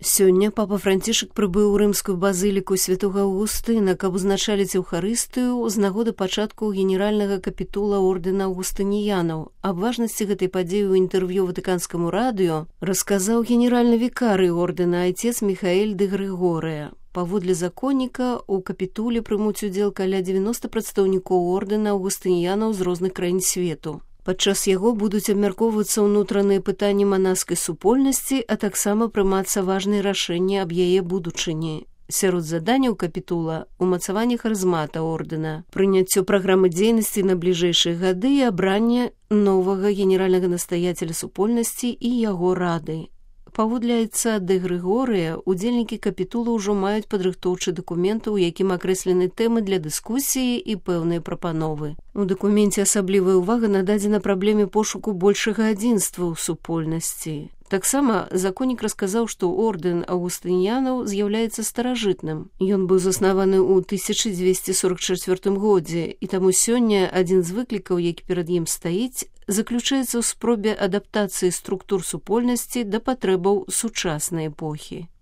Сёння папа Францішак прыбыў у рымскую базыліку святога Аўгустына, каб узначаліць Еўхарыстыю з нагоды пачатку генеральнага капітула ордэна аўгустыніянаў. Аб важнасці гэтай падзеі ў інтэрв'ю ватыканскаму радыё расказаў генеральны вікарый ордэна айцец Міхаэль дэ Грыгорыя. Паводле законніка, у капітуле прымуць удзел каля 90 прадстаўнікоў ордэна аўгустыніянаў з розных краін свету. Падчас яго будуць абмяркоўвацца ўнутраныя пытанні манаскай супольнасці, а таксама прымацца важныя рашэнні аб яе будучыні. Сярод заданняў капітула – умацаванне харызмата ордэна, прыняццё праграмы дзейнасці на бліжэйшыя гады і абранне новага генеральнага настаяцеля супольнасці і яго рады. Паводле айца дэ Грыгорыя, удзельнікі капітула ўжо маюць падрыхтоўчы дакумент, у якім акрэслены тэмы для дыскусіі і пэўныя прапановы. У дакуменце асаблівая ўвага нададзена праблеме пошуку большага адзінства ў супольнасці. Таксама законнік расказаў, што ордэн аўгустыніянаў з'яўляецца старажытным. Ён быў заснаваны ў 1244 годзе, і таму сёння адзін з выклікаў, які перад ім стаіць, заключаецца ў спробе адаптацыі структур супольнасці да патрэбаў сучаснай эпохі.